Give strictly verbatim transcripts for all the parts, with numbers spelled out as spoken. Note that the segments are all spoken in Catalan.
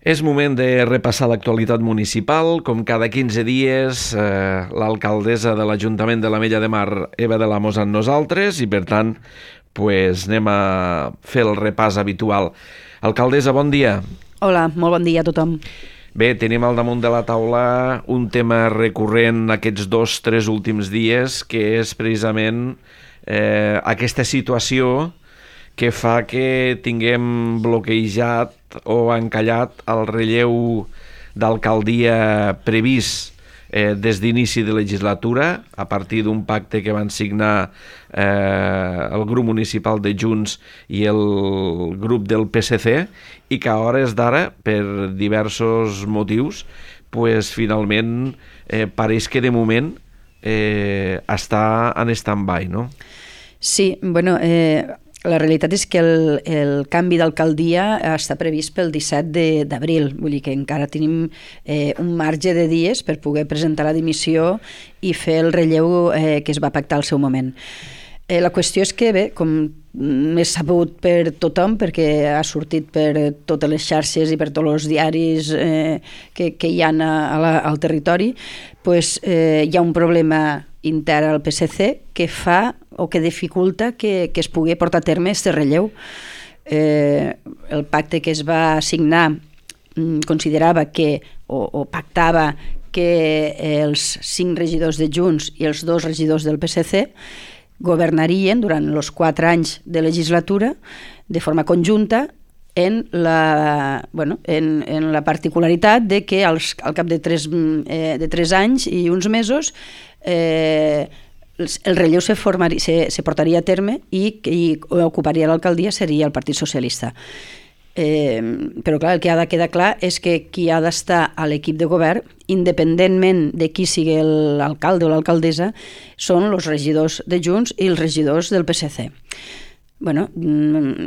És moment de repassar l'actualitat municipal. Com cada quinze dies, eh, l'alcaldessa de l'Ajuntament de l'Ametlla de Mar, Eva de l'Amos, amb nosaltres, i per tant pues, anem a fer el repàs habitual. Alcaldessa, bon dia. Hola, molt bon dia a tothom. Bé, tenim al damunt de la taula un tema recurrent aquests dos, tres últims dies, que és precisament eh, aquesta situació que fa que tinguem bloquejat o encallat el relleu d'alcaldia previst eh, des d'inici de legislatura, a partir d'un pacte que van signar eh, el grup municipal de Junts i el grup del P S C, i que a hores d'ara, per diversos motius, pues, finalment eh, pareix que de moment eh, està en stand-by, no? Sí, bueno, eh, la realitat és que el, el canvi d'alcaldia està previst pel disset d'abril, vull dir que encara tenim eh, un marge de dies per poder presentar la dimissió i fer el relleu eh, que es va pactar al seu moment. Eh, la qüestió és que, bé, com és sabut per tothom, perquè ha sortit per totes les xarxes i per tots els diaris eh, que, que hi ha a, a la, al territori, pues, eh, hi ha un problema intern al P S C que fa o que dificulta que, que es pugui portar a terme aquest relleu. Eh, el pacte que es va signar considerava que, o, o pactava que els cinc regidors de Junts i els dos regidors del P S C governarien durant els quatre anys de legislatura de forma conjunta en la, bueno, en, en la particularitat de que als, al cap de tres, eh, de tres anys i uns mesos eh, el relleu se, formaria, se, se portaria a terme i qui ocuparia l'alcaldia seria el Partit Socialista. Eh, però clar, el que ha de quedar clar és que qui ha d'estar a l'equip de govern, independentment de qui sigui l'alcalde o l'alcaldessa, són els regidors de Junts i els regidors del P S C. Bueno,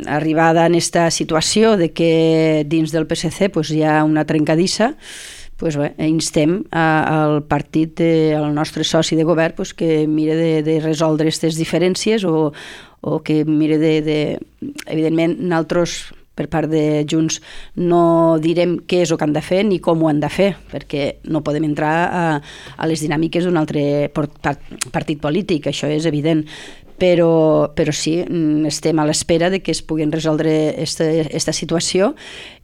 arribada en aquesta situació de que dins del P S C pues, hi ha una trencadissa, pues, bé, instem a, al partit, de, al nostre soci de govern pues, que mire de, de resoldre aquestes diferències o, o que mire de, de... Evidentment, nosaltres, per part de Junts, no direm què és el que han de fer ni com ho han de fer, perquè no podem entrar a, a les dinàmiques d'un altre partit polític, això és evident. Però, però sí, estem a l'espera de que es puguin resoldre aquesta situació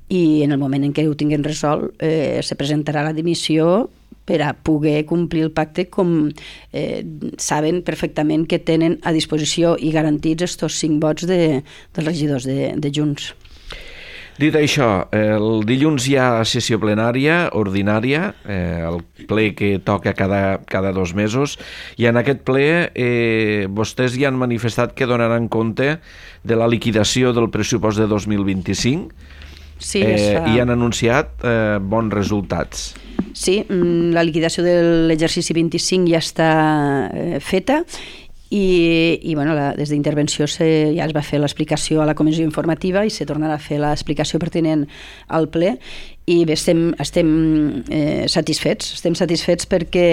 i en el moment en què ho tinguem resolt eh, se presentarà la dimissió per a poder complir el pacte com eh, saben perfectament que tenen a disposició i garantits estos cinc vots de, dels regidors de, de Junts. Dit això, el dilluns hi ha sessió plenària ordinària, eh, el ple que toca cada, cada dos mesos, i en aquest ple eh, vostès ja han manifestat que donaran compte de la liquidació del pressupost de dos mil vint-i-cinc sí, eh, fa... i han anunciat eh, bons resultats. Sí, la liquidació de l'exercici vint-i-cinc ja està eh, feta i, i bueno, la, des d'intervenció se, ja es va fer l'explicació a la comissió informativa i se tornarà a fer l'explicació pertinent al ple i bé, estem, estem eh, satisfets, estem satisfets perquè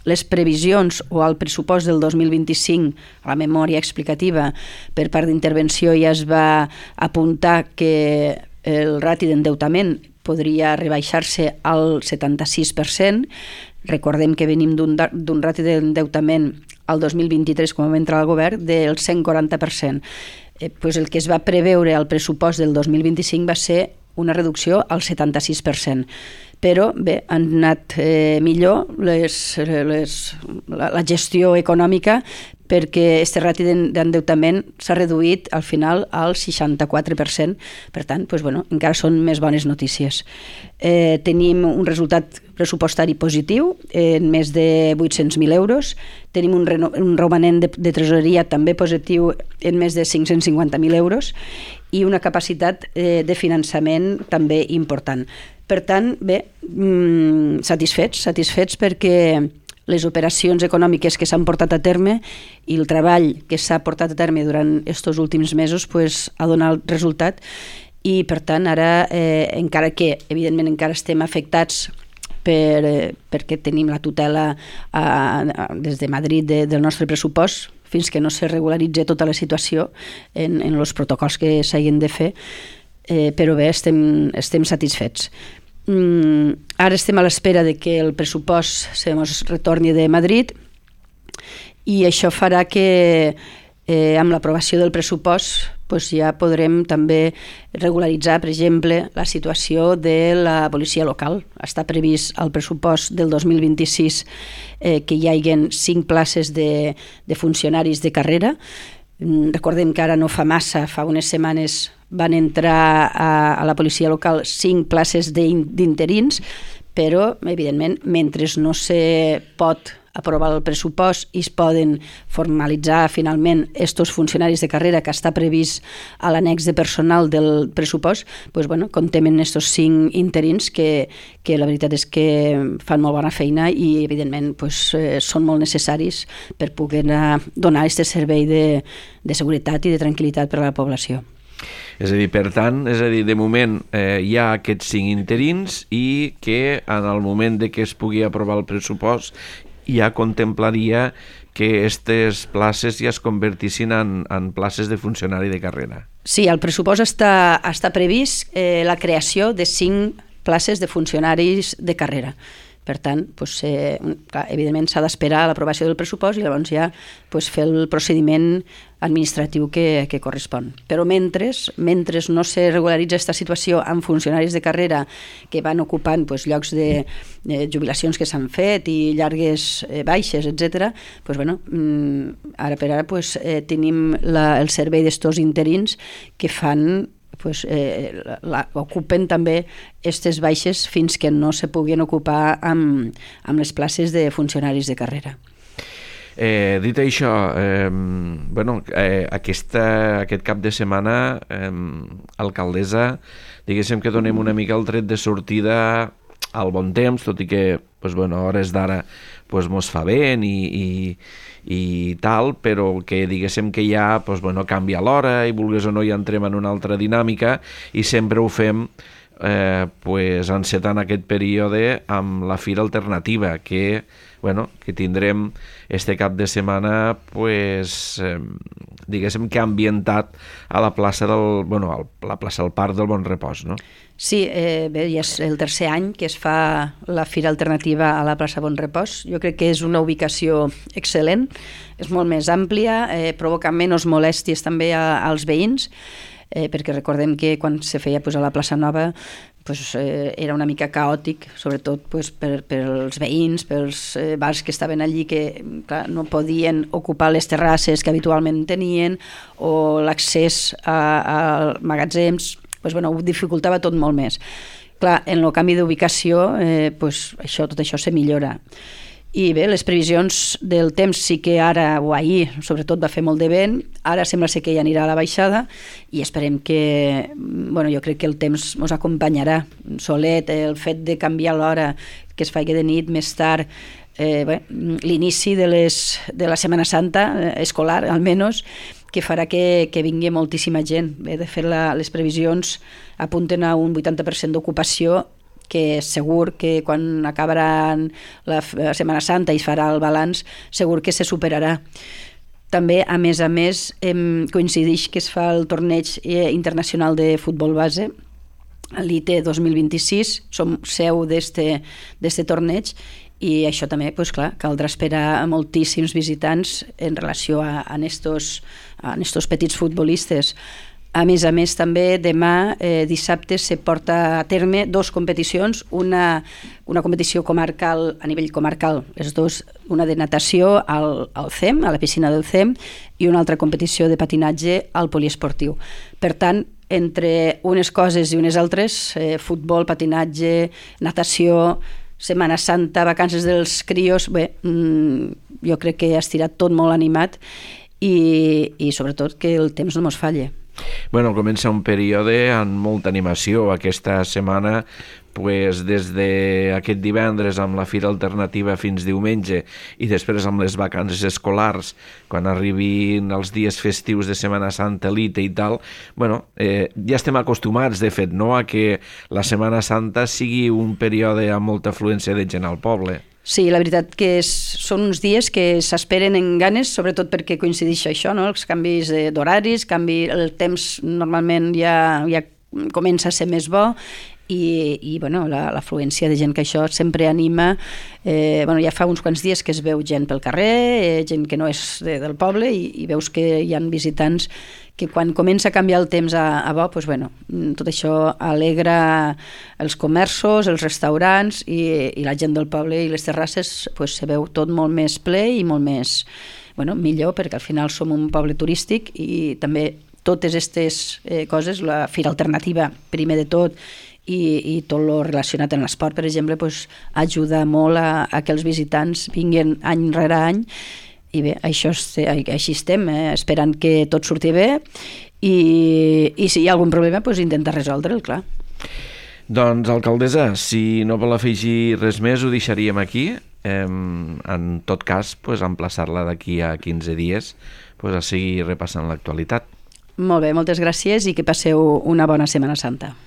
les previsions o el pressupost del dos mil vint-i-cinc, a la memòria explicativa per part d'intervenció ja es va apuntar que el rati d'endeutament podria rebaixar-se al setanta-sis per cent. Recordem que venim d'un, d'un rati d'endeutament al dos mil vint-i-tres, quan vam entrar al govern, del cent quaranta per cent. Eh, pues el que es va preveure al pressupost del dos mil vint-i-cinc va ser una reducció al setanta-sis per cent. Però bé, han anat eh, millor les, les, la, la gestió econòmica perquè aquest rati d'endeutament s'ha reduït al final al seixanta-quatre per cent. Per tant, doncs, bueno, encara són més bones notícies. Eh, tenim un resultat pressupostari positiu en més de vuit-cents mil euros. Tenim un, reno, un romanent de, de tresoreria també positiu en més de cinc-cents cinquanta mil euros i una capacitat eh, de finançament també important. Per tant, bé, mmm, satisfets, satisfets perquè les operacions econòmiques que s'han portat a terme i el treball que s'ha portat a terme durant aquests últims mesos pues, ha donat resultat i per tant ara, eh, encara que evidentment encara estem afectats per, eh, perquè tenim la tutela a, a, des de Madrid de, del nostre pressupost fins que no se regularitzi tota la situació en, en els protocols que s'hagin de fer, eh, però bé, estem, estem satisfets. Mm, ara estem a l'espera de que el pressupost se mos retorni de Madrid i això farà que eh, amb l'aprovació del pressupost pues ja podrem també regularitzar, per exemple, la situació de la policia local. Està previst al pressupost del dos mil vint-i-sis eh, que hi hagin cinc places de, de funcionaris de carrera. Recordem que ara no fa massa, fa unes setmanes van entrar a, a la policia local cinc places d'interins, però, evidentment, mentre no se pot aprovar el pressupost i es poden formalitzar finalment estos funcionaris de carrera que està previst a l'annex de personal del pressupost, doncs, bueno, comptem en estos cinc interins que, que la veritat és que fan molt bona feina i evidentment doncs, eh, són molt necessaris per poder donar aquest servei de, de seguretat i de tranquil·litat per a la població. És a dir, per tant, és a dir, de moment eh, hi ha aquests cinc interins i que en el moment de que es pugui aprovar el pressupost ja contemplaria que aquestes places ja es convertissin en, en places de funcionari de carrera. Sí, al pressupost està, està previst eh, la creació de cinc places de funcionaris de carrera. Per tant, doncs, eh, clar, evidentment s'ha d'esperar l'aprovació del pressupost i llavors ja doncs, fer el procediment administratiu que, que correspon. Però mentre, mentre no se regularitza aquesta situació amb funcionaris de carrera que van ocupant doncs, llocs de eh, jubilacions que s'han fet i llargues eh, baixes, etcètera, doncs, bueno, ara per ara doncs, eh, tenim la, el servei d'estos interins que fan Pues, eh, la, ocupen també aquestes baixes fins que no se puguin ocupar amb, amb les places de funcionaris de carrera. Eh, dit això, eh, bueno, eh, aquesta, aquest cap de setmana, eh, alcaldessa, diguéssim que donem una mica el tret de sortida al bon temps, tot i que pues, bueno, a hores d'ara pues, mos fa vent i, i, i tal, però que diguéssim que ja pues, bueno, canvia l'hora i vulgues o no ja entrem en una altra dinàmica i sempre ho fem eh, pues, encetant aquest període amb la Fira Alternativa que, bueno, que tindrem este cap de setmana pues, eh, diguéssim que ambientat a la plaça del, bueno, a la plaça del Parc del Bon Repòs, no? Sí, eh, bé, ja és el tercer any que es fa la Fira Alternativa a la plaça Bon Repòs. Jo crec que és una ubicació excel·lent, és molt més àmplia, eh, provoca menys molèsties també a, als veïns, eh, perquè recordem que quan se feia pues, a la plaça Nova pues, eh, era una mica caòtic, sobretot pues, per, per als veïns, pels eh, bars que estaven allí que clar, no podien ocupar les terrasses que habitualment tenien o l'accés a, a magatzems, pues, bueno, ho dificultava tot molt més. Clar, en el canvi d'ubicació, eh, pues, això, tot això se millora. I bé, les previsions del temps sí que ara, o ahir, sobretot va fer molt de vent, ara sembla ser que ja anirà a la baixada i esperem que, bueno, jo crec que el temps ens acompanyarà. Solet, el fet de canviar l'hora, que es faci de nit més tard, eh, bé, l'inici de, les, de la Setmana Santa, eh, escolar almenys, que farà que, que vingui moltíssima gent. Bé, de fet, la, les previsions apunten a un vuitanta per cent d'ocupació que segur que quan acabarà la Setmana Santa i es farà el balanç, segur que se superarà. També, a més a més, em coincideix que es fa el torneig internacional de futbol base, l'I T dos mil vint-i-sis, som seu d'este torneig, i això també, doncs clar, caldrà esperar a moltíssims visitants en relació a, a estos, a estos petits futbolistes. A més a més, també demà, eh, dissabte, se porta a terme dos competicions, una, una competició comarcal, a nivell comarcal, les dos, una de natació al, al C E M, a la piscina del C E M, i una altra competició de patinatge al poliesportiu. Per tant, entre unes coses i unes altres, eh, futbol, patinatge, natació, Setmana Santa, vacances dels crios, bé, mmm, jo crec que ha estirat tot molt animat i, i sobretot que el temps no mos falle. Bueno, comença un període amb molta animació aquesta setmana, pues, des d'aquest divendres amb la Fira Alternativa fins diumenge i després amb les vacances escolars, quan arribin els dies festius de Setmana Santa, l'I T I i tal, bueno, eh, ja estem acostumats, de fet, no?, a que la Setmana Santa sigui un període amb molta afluència de gent al poble. Sí, la veritat que és, són uns dies que s'esperen en ganes, sobretot perquè coincideix això, no?, els canvis d'horaris, canvi, el temps normalment ja, ja comença a ser més bo i, i bueno, l'afluència de gent que això sempre anima. Eh, bueno, ja fa uns quants dies que es veu gent pel carrer, eh, gent que no és de, del poble, i, i veus que hi ha visitants que quan comença a canviar el temps a, a bo, doncs, bueno, tot això alegra els comerços, els restaurants i, i la gent del poble i les terrasses, doncs, se veu tot molt més ple i molt més, bueno, millor, perquè al final som un poble turístic i també totes aquestes eh, coses, la Fira Alternativa, primer de tot, i, i tot el relacionat amb l'esport, per exemple, doncs, ajuda molt a, a que els visitants vinguin any rere any. I bé, això, així estem, eh? Esperant que tot surti bé i, i si hi ha algun problema, doncs intentar resoldre'l, clar. Doncs, alcaldessa, si no vol afegir res més, ho deixaríem aquí. Eh, en tot cas, pues, emplaçar-la d'aquí a quinze dies pues, a seguir repassant l'actualitat. Molt bé, moltes gràcies i que passeu una bona Setmana Santa.